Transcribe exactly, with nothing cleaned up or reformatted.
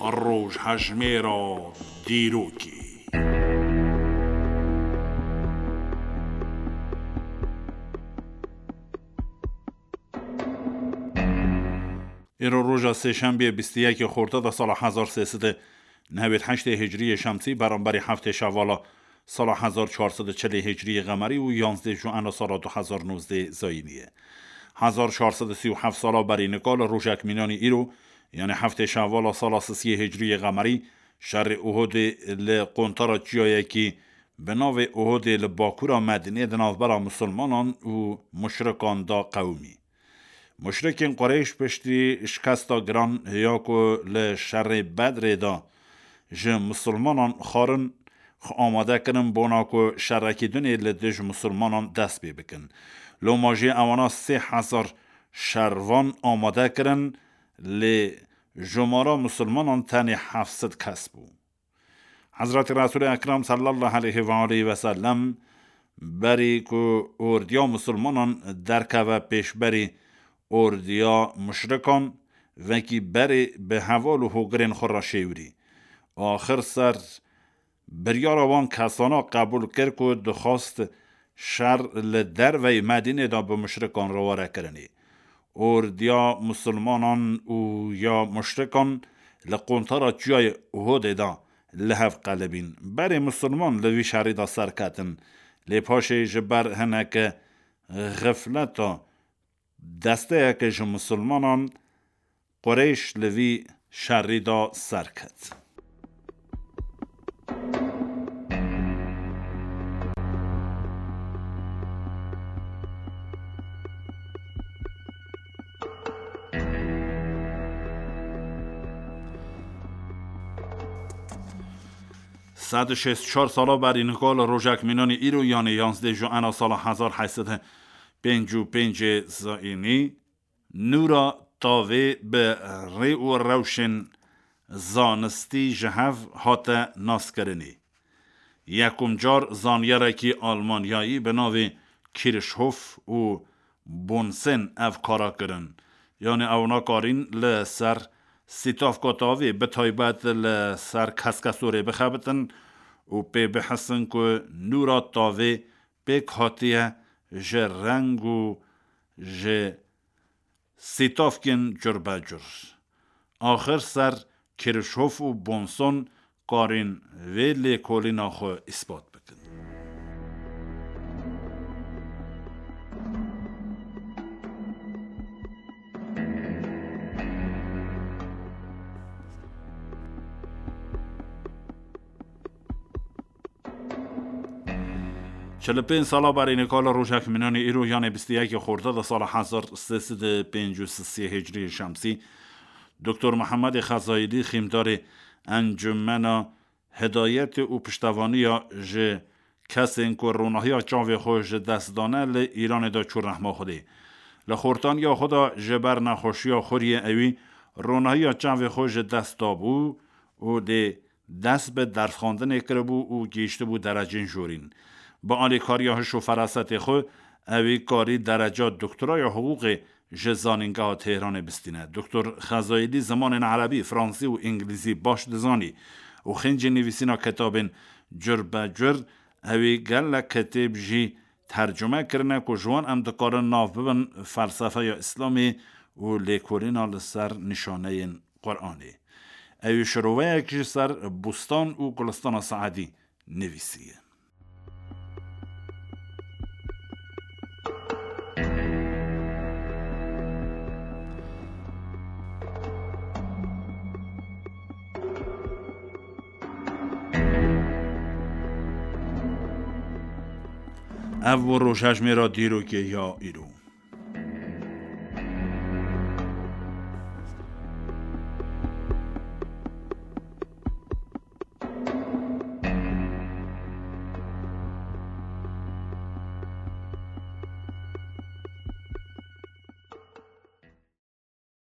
Rojhejmêra dîrokê. Îro roja sêşembiyê bîst û yekê Xortata sala hezar sê sed û newêd heştê Hicriyê Şemsî, beramberî heftê Şevala sala hezar çar sed û çilê Hicriyê Qemerî û yanzdê Juena sala du hezar nozdê Zayînî ye. Hezar çar sed û sî û heft sala berî nika li rojek mînanî îro, yanî heftê Şevala sala sisiyê Hicriyê Qemerî, şerê Uhudê li quntara çiyayekî bi navê Uhudê li bakura Medînê di navbera misilmanan û muşrikan de qewimî. Muşrikên Qureyş piştî şikesta giran ya ku li şerê Bedrê de ji misilmanan xwarin, xwe amade kirin bona ku şerekî dinê li dij misilmanan dest pê bikin. Loma jî ewana sê hezar şervan amade kirin, lê jumara misilmanan tenê heft sed kes bû. Hezretî Resûlê Ekrem sallallahu aleyhi ve aleyhi ve sellem berî ku ordiya misilmanan derkeve pêşberî ordiya muşrikan, vekî berê bi heval û hogirên xwe re şêwirî. Axir ser biryara wan kesana qebûl kir ku dixwast şer li derveyî Medînê de bi muşrikan re were kirinê. Ordiya misilmanan û ya muşrikan li quntara çiyayê Uhudê de li hev qelibîn. Berê misilman li vî şerî de serketin. Lê paşê ji ber hineke xifleta desteyeke ji misilmanan Qureyş li vî şerî de serket. Sed û şêst û çar sala berî nika li rojek mînanî îro, yanê yanzdeh Juena sala hezar heyt sed û pêncî û pêncê Zayînî, nûra tavê bi rê û rewşên zanistî ji hev hate naskirinê. Yekum car zanyarekî Almanyayî bi navê Kirchhoff û Bunsen ev kara kirin. Yanî ew nakarîn li ser sîtavka tavê, bi taybet li ser keskesorê bixebitin û pê bihisin ku nûra tavê pêk hatiye ji reng û ji sîtavkên curbecur. Axir ser Kirchhoff û Bunsen karîn vê lêkolîna xwe îspat bikin. Çil û pênc sala berî nika li rojek mînanî îro, yanê bîst û yekê Xortata sala hezar sê sed û pêncî û sê Hicriyê Şemsî, Doktor Mihemedê Xezayîlî, xîmdarê Encumena Hidayetê û piştevaniya ji kesên ku ronahiya çavê xwe ji dest dane, li Îranê de çû rehma Xwedê. Li xortaniya xwe de ji ber nexweşiya xuriyê ewî ronahiya çavê xwe ji dest dabû û dê dest bi dersxwendinê kiribû û gihîştibû derecên jorîn. Bi alîkariya hiş û ferasetê xwe, ewî karî dereca doktoraya hiqûqê ji Zanîngeha Tehranê bistîne. Doktor Xezayîlî zimanên erebî, fransî û îngilîzî baş dizanî û xêncî nivîsîna kitabên cur be cur ewî gelek kitêb jî tercume kirine ku ji wan em dikarin nav bibin felsefeya Îslamê û lêkolîna li ser nîşaneyên Quranê. Ewî şiroveyek ji ser Bustan û Gulistana Saedî nivîsiye. Ev bû rojhejmêra dîrokê ya îro.